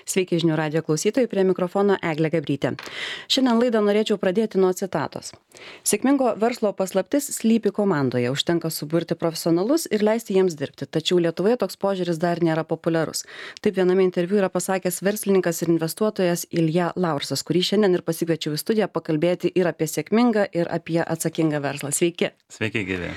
Sveiki žinių radijo klausytojai, prie mikrofono Eglė Gabrytė. Šiandien laidą norėčiau pradėti nuo citatos. Sėkmingo verslo paslaptis slypi komandoje, užtenka suburti profesionalus ir leisti jiems dirbti, tačiau Lietuvoje toks požiūris dar nėra populiarus. Taip viename interviu yra pasakęs verslininkas ir investuotojas Ilja Laursas, kurį šiandien ir pasikviečiau į studiją pakalbėti ir apie sėkmingą, ir apie atsakingą verslą. Sveiki. Sveiki, gyvi.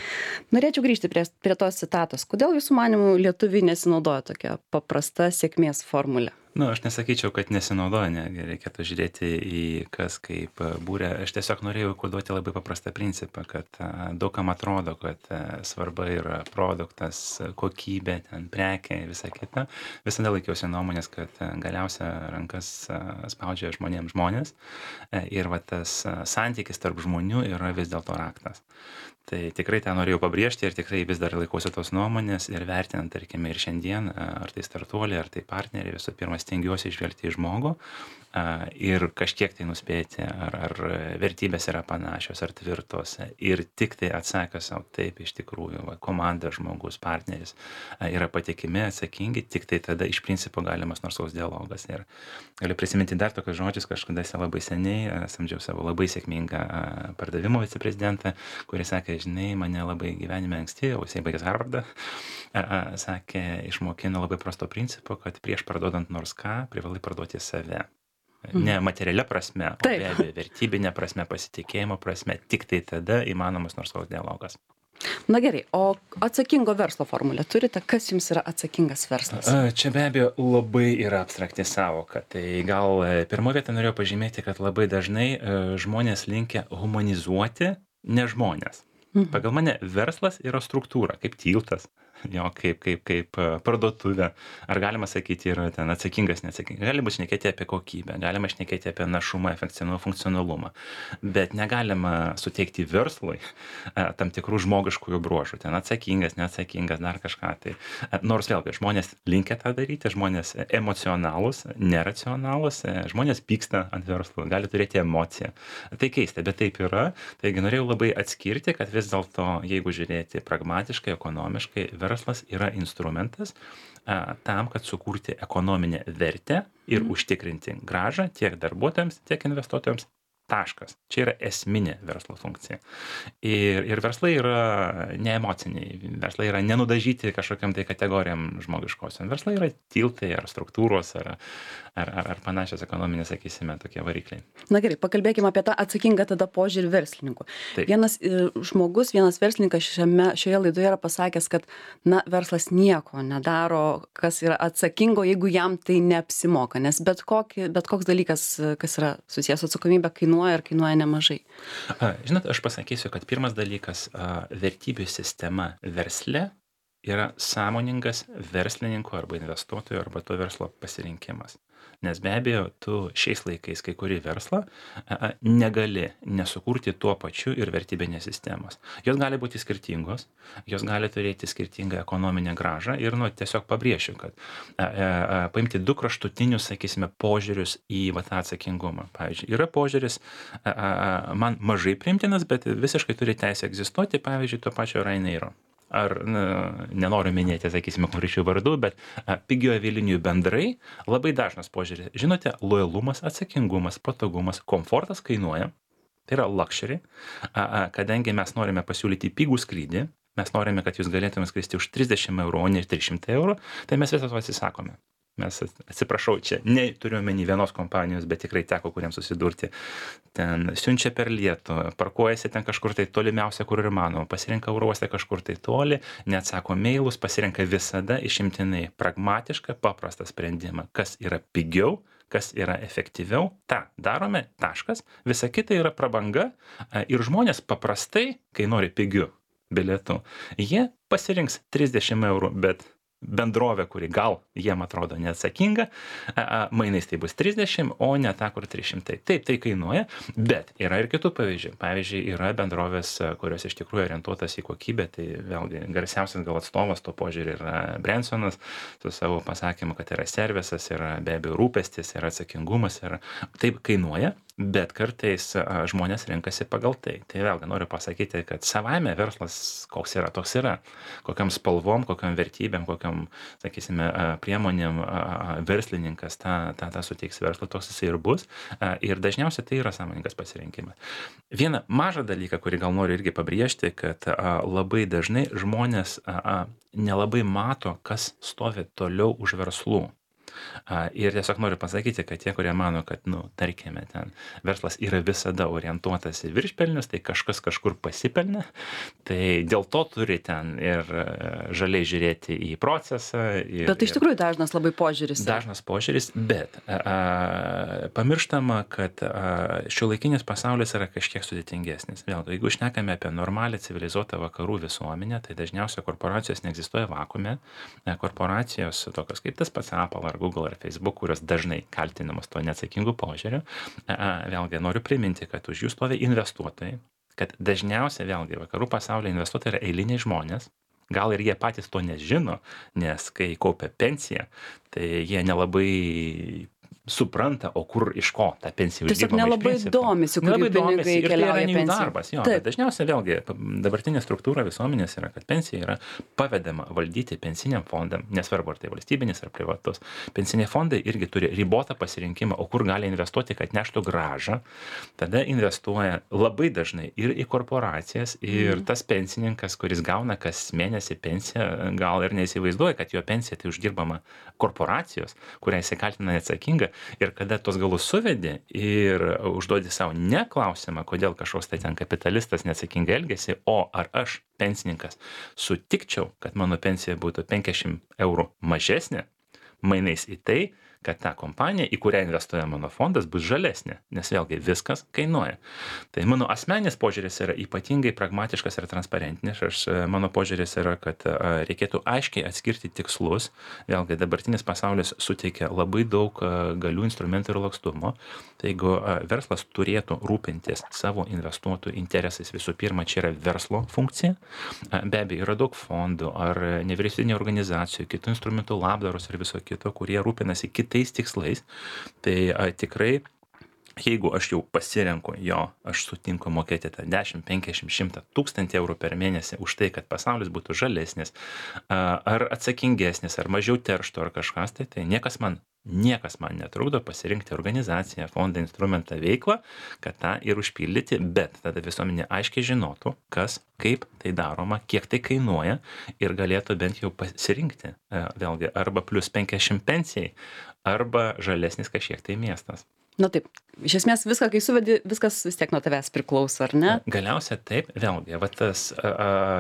Norėčiau grįžti prie tos citatos. Kodėl jūsų manimų lietuviai nesinaudoja tokia paprasta sėkmės formulė? Aš nesakyčiau, kad nesinaudoja, netgi reikėtų žiūrėti į kas kaip būrė. Aš tiesiog norėjau koduoti labai paprastą principą, kad daugam atrodo, kad svarba yra produktas, kokybė, ten prekė, visa kita. Visada laikiausi nuomonės, kad galiausia rankas spaudžia žmonės ir va tas santykis tarp žmonių yra vis dėlto raktas. Tai tikrai tą norėjau pabrėžti ir tikrai vis dar laikausi tos nuomonės ir vertinant, tarkime, ir šiandien, ar tai startuoliai, ar tai partneriai, visų pirma, stengiuosi žvelgti į žmogų ir kažkiek tai nuspėti, ar vertybės yra panašios, ar tvirtos. Ir tik tai atsakę savo taip, iš tikrųjų, komanda, žmogus, partneris yra patikimi, atsakingi, tik tai tada iš principo galimas nors koks dialogas. Ir galiu prisiminti dar tokius žodžius, kažkada labai seniai samdžiau savo labai sėkmingą pardavimo viceprezidentą, kuris sakė, žinai, mane labai gyvenime anksti, o jisai baigęs Harvardą, sakė, išmokino labai prasto principo, kad prieš parduodant nors ką, privalai parduoti save. Ne materialia prasme, o be abejo vertybinė prasme, pasitikėjimo prasme, tik tai tada įmanomas nors koks dialogas. Na gerai, o atsakingo verslo formulę turite? Kas jums yra atsakingas verslas? Čia be abejo labai yra abstrakti sąvoka. Tai gal pirmoje vietoje norėjau pažymėti, kad labai dažnai žmonės linkę humanizuoti ne žmonės. Pagal mane verslas yra struktūra, kaip tiltas, kaip parduotuvė. Ar galima sakyti, yra ten atsakingas, neatsakingas. Galima šnekėti apie kokybę, galima šnekėti apie našumą, efektyvumą, funkcionalumą. Bet negalima suteikti verslui tam tikrų žmogiškųjų bruožų. Ten atsakingas, neatsakingas, dar kažką. Tai. Nors vėlgi, žmonės linkę tą daryti, žmonės emocionalūs, neracionalūs, žmonės pyksta ant verslo, gali turėti emociją. Tai keista, bet taip yra. Taigi norėjau labai atskirti, kad vis dėlto, jeigu žiūrėti pragmatiškai, ekonomiškai, verslas yra instrumentas tam, kad sukurti ekonominę vertę ir užtikrinti grąžą tiek darbuotojams, tiek investuotojams. Taškas. Čia yra esminė verslo funkcija. Ir verslai yra neemociniai, verslai yra nenudažyti kažkokiam tai kategorijam žmogiškosiam. Verslai yra tiltai ar struktūros ar panašios ekonominės, sakysime, tokie varikliai. Na gerai, pakalbėkime apie tą atsakingą tada požiūrį verslininkų. Taip. Vienas verslininkas šioje laidoje yra pasakęs, kad verslas nieko nedaro, kas yra atsakingo, jeigu jam tai neapsimoka, nes bet koks dalykas, kas yra susijęs su atsakomybė, kainuoja nemažai. Žinot, aš pasakysiu, kad pirmas dalykas, vertybių sistema versle yra sąmoningas verslininko arba investuotojo arba to verslo pasirinkimas. Nes be abejo, tu šiais laikais kai kurį verslą negali nesukurti tuo pačiu ir vertybinės sistemos. Jos gali būti skirtingos, jos gali turėti skirtingą ekonominę grąžą ir tiesiog pabrėšiu, kad paimti du kraštutinius, sakysime, požiūrius į tą atsakingumą. Pavyzdžiui, yra požiūris man mažai priimtinas, bet visiškai turi teisę egzistuoti, pavyzdžiui, to pačio Ryanairo. Ar nenoriu minėti, sakysime, konkrečių vardų, bet pigiojo avialinijų bendrai labai dažnas požiūris. Žinote, lojalumas, atsakingumas, patogumas, komfortas kainuoja. Tai yra luxury. Kadangi mes norime pasiūlyti pigų skrydį, mes norime, kad jūs galėtume skristi už 30 eurų, o ne 300 eurų, tai mes visą to atsisakome. Mes, atsiprašau, čia neturiu omeny vienos kompanijos, bet tikrai teko kuriems susidurti. Ten siunčia per lietų, parkuojasi ten kažkur tai tolimiausia, kur ir manoma, pasirenka oro uoste kažkur tai toli, neatsako mailus, pasirenka visada išimtinai pragmatišką, paprastą sprendimą, kas yra pigiau, kas yra efektyviau, tą darome, taškas, visa kita yra prabanga ir žmonės paprastai, kai nori pigių bilietų, jie pasirinks 30 eurų, bet bendrovė, kuri gal jiem atrodo neatsakinga, mainais tai bus 30, o ne ta, kur 300. Taip, tai kainuoja, bet yra ir kitų pavyzdžių. Pavyzdžiui, yra bendrovės, kurios iš tikrųjų orientuotas į kokybę, tai vėlgi garsiausias gal atstovas to požiūrį yra Bransonas, su savo pasakymu, kad yra servisas, yra be abejo rūpestis, yra atsakingumas, yra taip kainuoja. bet kartais žmonės renkasi pagal tai. Tai vėlgi noriu pasakyti, kad savaime verslas koks yra, toks yra. Kokiam spalvom, kokiam vertybėm, kokiam, sakysime, priemonėm verslininkas tą suteiks verslui, toks jisai ir bus. Ir dažniausiai tai yra sąmoningas pasirinkimas. Vieną mažą dalyką, kurį gal noriu irgi pabrėžti, kad labai dažnai žmonės nelabai mato, kas stovi toliau už verslų. Ir tiesiog noriu pasakyti, kad tie, kurie mano, kad, tarkime, ten verslas yra visada orientuotas į viršpelnius, tai kažkas kažkur pasipelnė, tai dėl to turi ten ir žaliai žiūrėti į procesą. Bet iš tikrųjų dažnas labai požiūris. Dažnas požiūris, bet pamirštama, kad šiuolaikinis pasaulis yra kažkiek sudėtingesnis. Vėlgi, jeigu šnekame apie normalią civilizuotą vakarų visuomenę, tai dažniausiai korporacijos neegzistuoja vakuume. Korporacijos tokios kaip tas pats Apple ar Google ar Facebook, kurios dažnai kaltinamos to neatsakingų požiūrių. Vėlgi noriu priminti, kad už jų stovi investuotojai, kad dažniausiai vėlgi vakarų pasaulio investuotojai yra eiliniai žmonės. Gal ir jie patys to nežino, nes kai kaupia pensiją, tai jie nelabai supranta, o kur iš ko ta pensija uždirbama. Tiesiog nelabai domisi, kur jų pinigai keliauja pensija. Darbas, jo, bet dažniausiai vėlgi dabartinė struktūra visuomenės yra, kad pensija yra pavedama valdyti pensiniam fondam, nesvarbu ar tai valstybinis ar privatus. Pensiniai fondai irgi turi ribotą pasirinkimą, o kur gali investuoti, kad neštų grąžą. Tada investuoja labai dažnai ir į korporacijas, ir tas pensininkas, kuris gauna kas mėnesį pensiją, gal ir neįsivaizduoja, kad jo pensija tai uždirbama korporacijos, kurią jisai kaltina neatsakinga. Ir kada tos galus suvedi ir užduodi savo ne klausimą, kodėl kažkoks tai ten kapitalistas neatsakingai elgesi, o ar aš, pensininkas, sutikčiau, kad mano pensija būtų 50 eurų mažesnė, mainais į tai, kad ta kompanija, į kurią investuoja mano fondas, bus žalesnė, nes vėlgi viskas kainuoja. Tai mano asmeninis požiūris yra ypatingai pragmatiškas ir transparentinis. Mano požiūris yra, kad reikėtų aiškiai atskirti tikslus. Vėlgi dabartinis pasaulis suteikia labai daug galių, instrumentų ir lakstumo. Tai jeigu verslas turėtų rūpintis savo investuotojų interesais, visų pirma, čia yra verslo funkcija. Be abejo, yra daug fondų ar nevyriausybinių organizacijų, kitų instrumentų, labdaros ir viso kito, kurie rūpinasi kitais tikslais. Tai tikrai, jeigu aš jau pasirenku aš sutinku mokėti tą 10, 50, 100 tūkstantį eurų per mėnesį už tai, kad pasaulis būtų žalesnis, ar atsakingesnis, ar mažiau terštų, ar kažkas, tai niekas man netrukdo pasirinkti organizaciją, fondą, instrumentą, veiklą, kad tą ir užpildyti, bet tada visuomenė aiškiai žinotų, kas, kaip tai daroma, kiek tai kainuoja ir galėtų bent jau pasirinkti, vėlgi, arba plus 50 pensijai, arba žalesnis kažkiek tai miestas. Na taip, iš esmės viską, kai suvedi, viskas vis tiek nuo tavęs priklauso, ar ne? Galiausiai taip, vėlgi, tas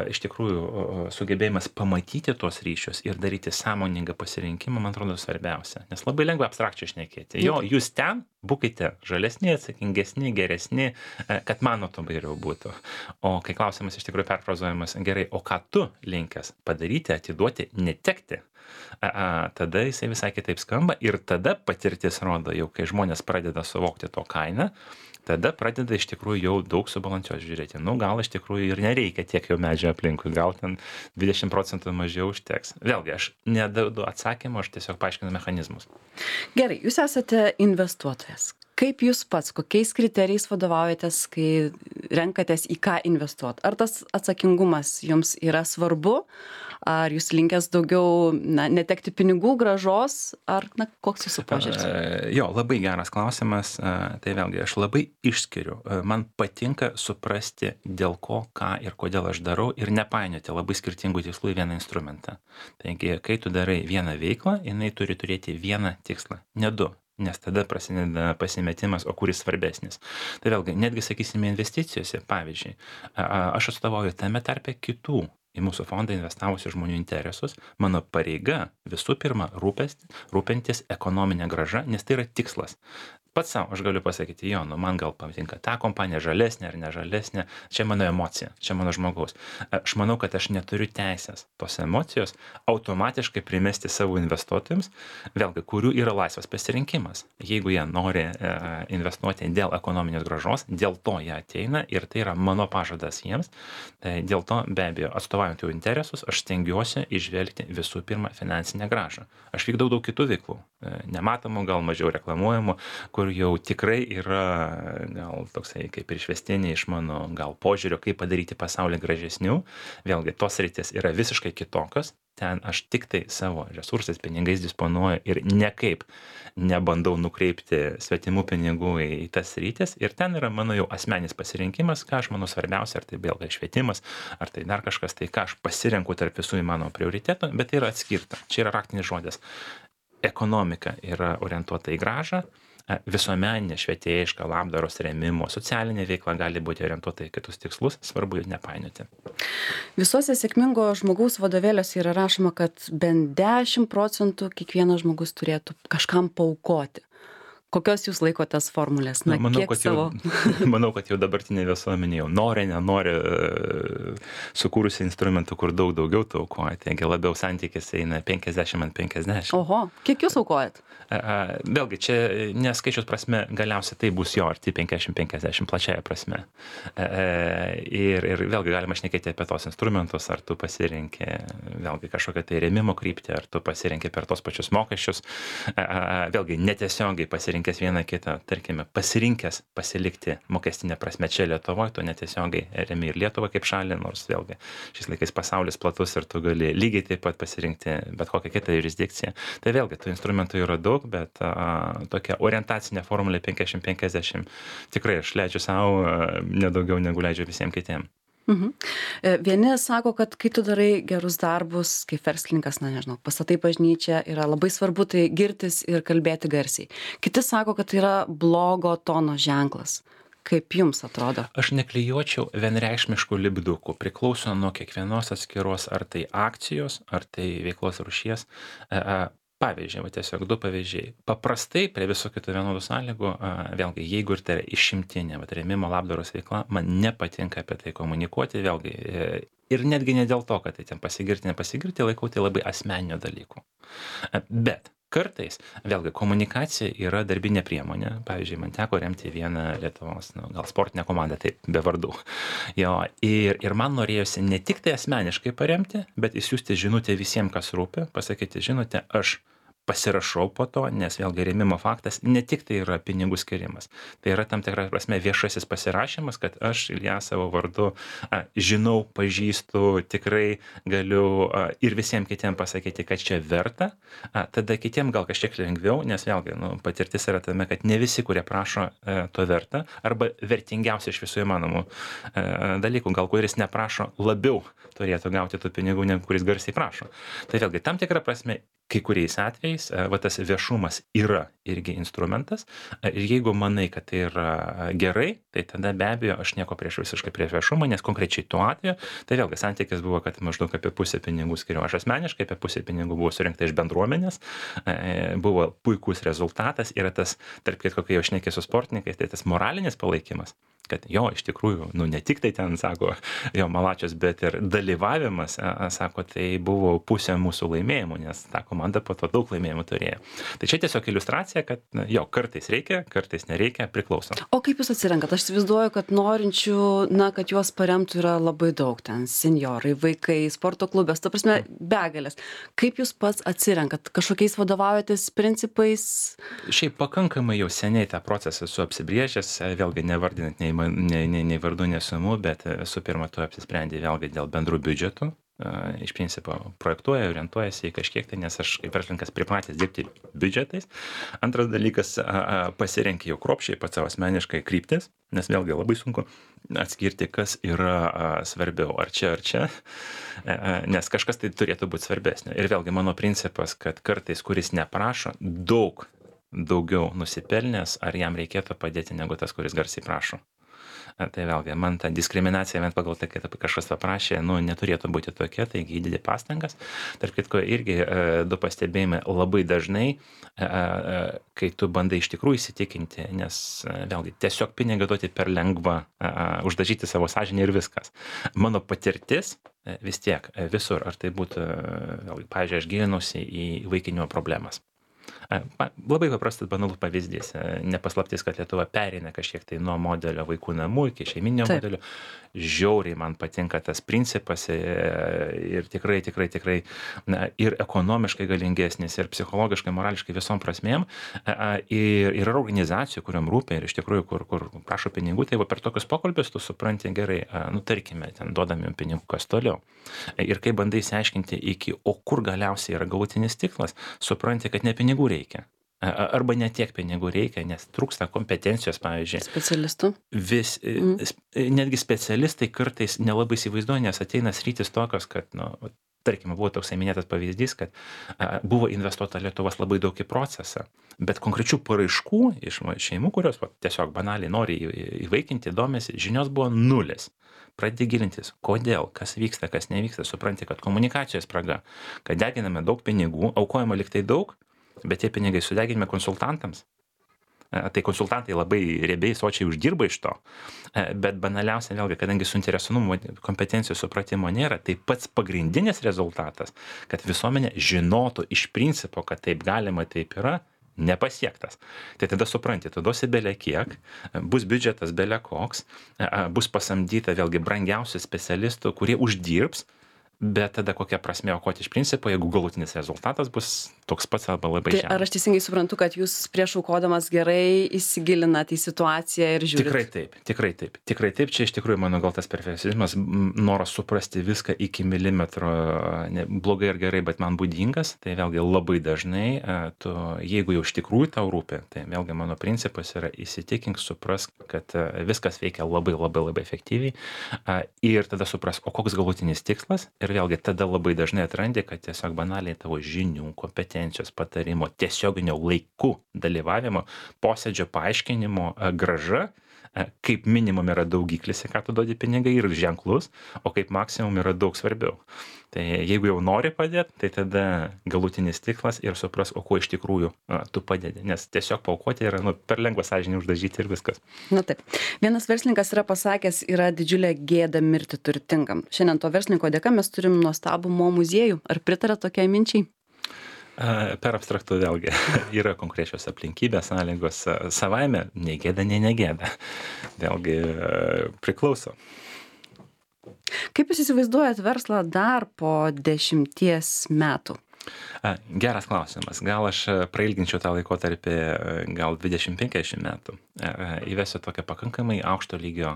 iš tikrųjų sugebėjimas pamatyti tos ryšius ir daryti sąmoningą pasirinkimą, man atrodo, svarbiausia. Nes labai lengva abstrakčiai šnekėti. Jūs ten būkite žalesni, atsakingesni, geresni, kad mano to geriau būtų. O kai klausimas iš tikrųjų perfrazuojamas, gerai, o ką tu linkęs padaryti, atiduoti, netekti? Tada jisai visai kitaip skamba ir tada patirtis rodo, jau kai žmonės pradeda suvokti to kainą, tada pradeda iš tikrųjų jau daug subalansuoti žiūrėti. Gal iš tikrųjų ir nereikia tiek jau medžio aplinkui, gal ten 20% mažiau užteks. Vėlgi, aš neduodu atsakymą, aš tiesiog paaiškinu mechanizmus. Gerai, jūs esate investuotojas. Kaip jūs pats, kokiais kriterijais vadovaujatės, kai renkatės į ką investuoti? Ar tas atsakingumas jums yra svarbu? Ar jūs linkęs daugiau netekti pinigų, grąžos, ar koks jūsų požiūris? Labai geras klausimas. Tai vėlgi, aš labai išskiriu. Man patinka suprasti, dėl ko, ką ir kodėl aš darau ir nepainioti labai skirtingų tikslų į vieną instrumentą. Taigi, kai tu darai vieną veiklą, jinai turi turėti vieną tikslą, ne du. Nes tada prasideda pasimetimas, o kuris svarbesnis. Tai vėlgi, netgi sakysime investicijose, pavyzdžiui, aš atstovauju tame tarpe kitų į mūsų fondą investavusių žmonių interesus. Mano pareiga visų pirma rūpintis ekonominę grąžą, nes tai yra tikslas. Pats savo aš galiu pasakyti, man gal patinka ta kompanija žalesnė ar nežalesnė, čia mano emocija, čia mano žmogaus. Aš manau, kad aš neturiu teisės tos emocijos automatiškai primesti savo investuotojams, vėlgi, kurių yra laisvas pasirinkimas. Jeigu jie nori investuoti dėl ekonominės grąžos, dėl to jie ateina ir tai yra mano pažadas jiems, tai dėl to be abejo atstovaujant jų interesus, aš stengiuosi įžvelgti visų pirma finansinę grąžą. Aš vykdau daug kitų veiklų, nematomų, gal mažiau reklamuojamų, kur kur jau tikrai yra gal toksai kaip ir išvestinė iš mano gal požiūrio, kaip padaryti pasaulį gražesniu, vėlgi tos sritys yra visiškai kitokios, ten aš tik tai savo resursais, pinigais disponuoju ir niekaip nebandau nukreipti svetimų pinigų į tas sritis ir ten yra mano jau asmeninis pasirinkimas, ką aš manau svarbiausia, ar tai vėlgi švietimas, ar tai dar kažkas, tai ką aš pasirenku tarp visų įmanomų prioritetų, bet tai yra atskirta. Čia yra raktinis žodis. Ekonomika yra orientuota į grąžą, visuomeninė, švietėjiška, labdaros rėmimo, socialinė veikla gali būti orientuota į kitus tikslus, svarbu jų nepainioti. Visuose sėkmingo žmogaus vadovėliuose yra rašoma, kad bent 10% kiekvienas žmogus turėtų kažkam paaukoti. Kokios jūs laikotės formulės? Na, manau, kiek savo? Manau, kad jau dabartinė visuomenė jau nenori sukūrusi instrumentų, kur daug daugiau taukoja. Taigi labiau santykis eina 50-50. Oho, kiek jūs aukojat? Vėlgi, čia neskaičius prasme, galiausiai tai bus jo arti 50-50 plačiaja prasme. Ir vėlgi galima šnekėti apie tos instrumentus, ar tu pasirinki vėlgi kažkokią tai rėmimo kryptį, ar tu pasirinki per tos pačius mokesčius. Vėlgi, netiesiogiai pasirinkęs vieną kitą, tarkime, pasirinkęs pasilikti mokestinę prasme čia Lietuvoje, tu netiesiogiai remi ir Lietuvą kaip šalį, nors vėlgi šiais laikais pasaulis platus ir tu gali lygiai taip pat pasirinkti bet kokią kitą jurisdikciją. Tai vėlgi, tų instrumentų yra daug, bet tokia orientacinė formulė 50-50 tikrai aš leidžiu savo nedaugiau negu leidžiu visiems kitiems. Vieni sako, kad kai tu darai gerus darbus, kaip verslininkas, na nežinau, pastatai bažnyčią, yra labai svarbu tai girtis ir kalbėti garsiai. Kiti sako, kad tai yra blogo tono ženklas. Kaip jums atrodo? Aš neklijuočiau vienreikšmiškų lipdukų. Priklauso nuo kiekvienos atskiros ar tai akcijos, ar tai veiklos rūšies. Pavyzdžiai, tiesiog du pavyzdžiai. Paprastai prie visų kitų vienodų sąlygų, vėlgi, jeigu ir tai yra išimtinė rėmimo labdaros veikla, man nepatinka apie tai komunikuoti, vėlgi, ir netgi ne dėl to, kad tai ten pasigirti, nepasigirti, laikau tai labai asmeninio dalyko. Bet kartais, vėlgi, komunikacija yra darbinė priemonė. Pavyzdžiui, man teko remti vieną Lietuvos, gal sportinę komandą, taip, be vardų. Jo, ir man norėjosi ne tik tai asmeniškai paremti, bet įsiųsti žinutę visiems, kas rūpi, pasakyti, žinote, aš pasirašau po to, nes vėlgi rėmimo faktas ne tik tai yra pinigų skirimas. Tai yra tam tikra prasme viešasis pasirašymas, kad aš Ilja savo vardu žinau, pažįstu, tikrai galiu ir visiems kitiems pasakyti, kad čia verta. Tada kitiems gal kažkiek lengviau, nes vėlgi patirtis yra tame, kad ne visi, kurie prašo, to verta, arba vertingiausia iš visų įmanomų dalykų, gal kuris neprašo, labiau turėtų gauti tų pinigų, negu kuris garsiai prašo. Tai vėlgi tam tikra prasme, kai kuriais atvejais tas viešumas yra irgi instrumentas ir jeigu manai, kad tai yra gerai, tai tada be abejo aš nieko visiškai prieš viešumą, nes konkrečiai tuo atveju, tai vėlgi santykis buvo, kad maždaug apie pusę pinigų skiriu aš asmeniškai, apie pusę pinigų buvo surinkta iš bendruomenės, buvo puikus rezultatas, yra tas, tarp kitko, kai jau šnekė su sportininkais, tai tas moralinis palaikymas, kad jo, iš tikrųjų, ne tik tai ten, sako, jo malačius, bet ir dalyvavimas, sako, tai buvo pusė mūsų laimėjimų, nes ta komanda po to daug laimėjimų turėjo. Tai čia tiesiog iliustracija, kad jo, kartais reikia, kartais nereikia, priklauso. O kaip jūs atsirenkat? Aš įsivaizduoju, kad norinčių, kad juos paremtų yra labai daug, ten senjorai, vaikai, sporto klubės, ta prasme, begalės. Kaip jūs pats atsirenkat? Kažkokiais vadovaujatės principais? Šiaip pakankamai jau seniai tą procesą esu apsibrėžęs, vėlgi nevardinant nei vardų, nei sumų, bet su pirma tu apsisprendė vėlgi dėl bendrų biudžetų. Iš principo projektuoja, orientuojasi į kažkiek tai, nes aš kaip verslininkas pripratęs dirbti biudžetais. Antras dalykas, pasirenki jau kruopščiai pats savo asmeniškai kryptis, nes vėlgi labai sunku atskirti, kas yra svarbiau, ar čia, nes kažkas tai turėtų būti svarbesnio. Ir vėlgi mano principas, kad kartais, kuris neprašo, daugiau nusipelnęs, ar jam reikėtų padėti negu tas, kuris garsiai prašo. Tai vėlgi, man ta diskriminacija, vien pagal tai, kad kažkas paprašė, neturėtų būti tokia, taigi įdedi pastangas. Tarp kitko, irgi du pastebėjimai labai dažnai, kai tu bandai iš tikrųjų įsitikinti, nes vėlgi, tiesiog pinigą duoti per lengva, uždažyti savo sąžinę ir viskas. Mano patirtis vis tiek visur, ar tai būtų, vėlgi, pavyzdžiui, aš gilinausi į įvaikinimo problemas. Labai paprastas banalus pavyzdys. Ne paslaptis, kad Lietuva pereina kažkiek tai nuo modelio vaikų namų iki šeiminio Taip. modelio. Žiauriai man patinka tas principas ir tikrai ir ekonomiškai galingesnis, ir psichologiškai, morališkai visom prasmėm. Ir yra organizacijų, kuriam rūpia ir iš tikrųjų, kur prašo pinigų, tai va per tokius pokalbius tu supranti gerai, nu tarkime, ten duodami jums pinigų, kas toliau. Ir kai bandai išsiaiškinti o kur galiausiai yra galutinis tikslas, supranti, kad ne pinigų reikia. Arba ne tiek pinigų reikia, nes trūksta kompetencijos, pavyzdžiui. Specialistų. Netgi specialistai kartais nelabai įsivaizduoja, nes ateina sritis tokios, kad, tarkime, buvo toks minėtas pavyzdys, kad buvo investuota Lietuvos labai daug į procesą, bet konkrečių paraiškų iš šeimų, kurios tiesiog banaliai nori įvaikinti, domisi, žinios buvo nulis. Pradedi gilintis, kodėl, kas vyksta, kas nevyksta, supranti, kad komunikacijos spraga, kad deginame daug pinigų, aukojama liktai daug, bet tie pinigai sudeginime konsultantams. Tai konsultantai labai riebiai, sočiai uždirba iš to, bet banaliausia vėlgi, kadangi suinteresuotumo, kompetencijos supratimo nėra, tai pats pagrindinis rezultatas, kad visuomenė žinotų iš principo, kad taip galima, taip yra, nepasiektas. Tai tada supranti, tu duosi bele kiek, bus biudžetas bele koks, bus pasamdyta vėlgi brangiausių specialistų, kurie uždirbs, bet tada kokia prasmė aukoti iš principo, jeigu galutinis rezultatas bus toks pats arba labai žemas. Tai ar aš teisingai suprantu, kad jūs prieš aukodamas gerai įsigilinat į situaciją ir žiūrit? Tikrai taip. Čia iš tikrųjų mano gal tas perfekcionizmas, noras suprasti viską iki milimetro, blogai ar gerai, bet man būdingas, tai vėlgi labai dažnai, jeigu jau iš tikrųjų tau rūpi, tai vėlgi mano principas yra įsitikink, suprask, kad viskas veikia labai efektyviai ir tada suprask, o koks galutinis tikslas. Ir vėlgi tada labai dažnai atrandi, kad tiesiog banaliai tavo žinių, kompetencijos, patarimo, tiesioginio laiku dalyvavimo, posėdžio paaiškinimo grąža, kaip minimum yra daugiklis, ką tu duodi pinigai ir ženklus, o kaip maksimum yra daug svarbiau. Tai jeigu jau nori padėti, tai tada galutinis tikslas ir supras, o kuo iš tikrųjų tu padedi. Nes tiesiog paaukoti yra per lengva sąžinį uždažyti ir viskas. Na taip. Vienas verslininkas yra pasakęs, yra didžiulė gėda mirti turtingam. Šiandien to verslininko dėka mes turim nuostabų mo muziejų. Ar pritarėt tokiai minčiai? Per abstraktų vėlgi yra konkrečios aplinkybės, sąlygos savaime, nei gėda, nei negėda. Vėlgi priklauso. Kaip jūs įsivaizduojat verslą dar po 10 metų? Geras klausimas. Gal aš prailginčiau tą laikotarpį gal 20-50 metų. Įvesiu tokią pakankamai aukšto lygio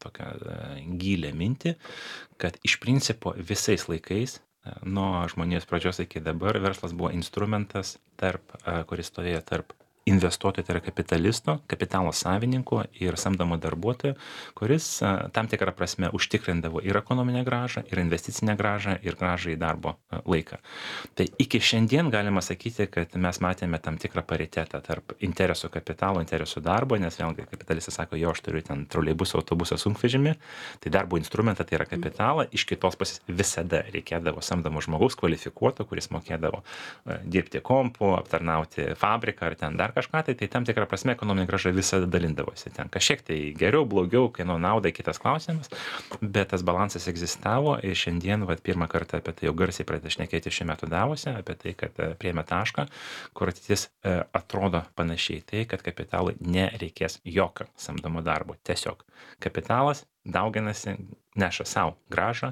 tokią gilę mintį, kad iš principo visais laikais nuo žmonijos pradžios iki dabar verslas buvo instrumentas, kuris stovėjo tarp investuotojų, tai yra kapitalisto, kapitalo savininko ir samdomo darbuotojo, kuris tam tikrą prasme užtikrindavo ir ekonominę grąžą, ir investicinę grąžą, ir grąžą į darbo laiką. Tai iki šiandien galima sakyti, kad mes matėme tam tikrą paritetą tarp interesų kapitalo, interesų darbo, nes vėlgi kapitalistas sako, jo, aš turiu ten troleibusą, autobusą, sunkvežimį, tai darbo instrumentą tai yra kapitalą, iš kitos pusės visada reikėdavo samdomo žmogaus kvalifikuoto, kuris mokėdavo dirbti kompu, aptarnauti fabriką ar ten dar kažką, tai tam tikrą prasme ekonominė grąža visada dalindavosi. Ten kažkiek tai geriau, blogiau, kieno naudai, kitas klausimas, bet tas balansas egzistavo ir šiandien pirmą kartą apie tai jau garsiai pradeda šnekėti šiuo metu Davose, apie tai, kad priėmė tašką, kur ateitis atrodo panašiai, tai kad kapitalui nereikės jokio samdomo darbo. Tiesiog kapitalas dauginasi, neša savo grąžą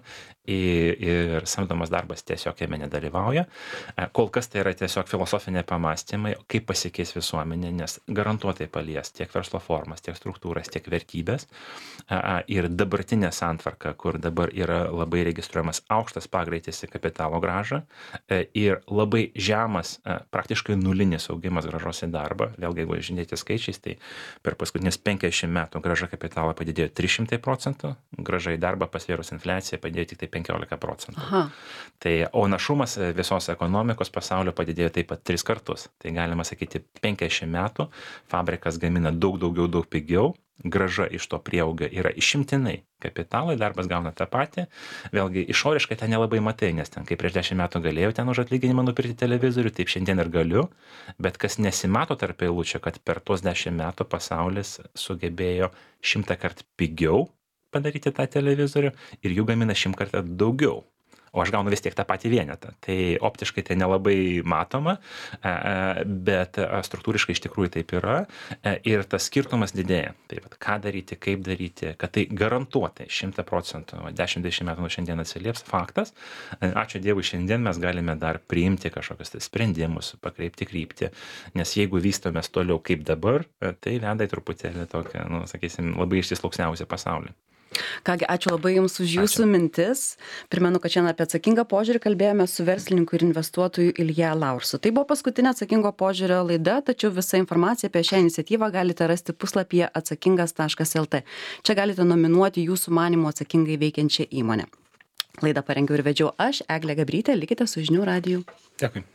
ir samdomas darbas tiesiog jame nedalyvauja. Kol kas tai yra tiesiog filosofiniai pamastymai, kaip pasikeis visuomenė, nes garantuotai palies tiek verslo formas, tiek struktūras, tiek vertybės. Ir dabartinė santvarka, kur dabar yra labai registruojamas aukštas pagreitis į kapitalo grąžą ir labai žemas, praktiškai nulinis augimas grąžos į darbą. Vėlgi, jeigu žiūrėti skaičiais, tai per paskutinius 50 metų grąža kapitalo padidėjo 300%, grąža į darbą pasvėrus infliaciją padėjo tik tai 15%. Aha. Tai, o našumas visos ekonomikos pasaulio padidėjo taip pat 3 kartus. Tai galima sakyti, 50 metų fabrikas gamina daug daugiau, daug pigiau, grąža iš to prieauga yra išimtinai kapitalai, darbas gauna tą patį. Vėlgi, išoriškai ten nelabai matai, nes ten, kaip prieš 10 metų galėjau ten už atlyginimą nupirkti televizorių, taip šiandien ir galiu, bet kas nesimato tarp eilučių, kad per tuos 10 metų pasaulis sugebėjo 100 kart pigiau padaryti tą televizorių ir jų gamina 100 kartą daugiau. o aš gaunu vis tiek tą patį vienetą. Tai optiškai tai nelabai matoma, bet struktūriškai iš tikrųjų taip yra ir tas skirtumas didėja. Tai vat, ką daryti, kaip daryti, kad tai garantuotai 100%, 10-20 metų nuo šiandien atsilieps faktas. Ačiū Dievui, šiandien mes galime dar priimti kažkokius tai sprendimus, pakreipti kryptį, nes jeigu vystomės toliau kaip dabar, tai veda į truputėlį tokią, sakysim, labai išsisluoksniausią pasaulį. Kągi, ačiū labai Jums už Jūsų mintis. Primenu, kad šiandien apie atsakingą požiūrį kalbėjome su verslininku ir investuotoju Ilja Laursu. Tai buvo paskutinė atsakingo požiūrio laida, tačiau visą informaciją apie šią iniciatyvą galite rasti puslapyje atsakingas.lt. Čia galite nominuoti Jūsų manymu atsakingai veikiančią įmonę. Laidą parengiau ir vedžiau aš, Eglė Gabrytė. Likite su Žinių radiju. Dėkui.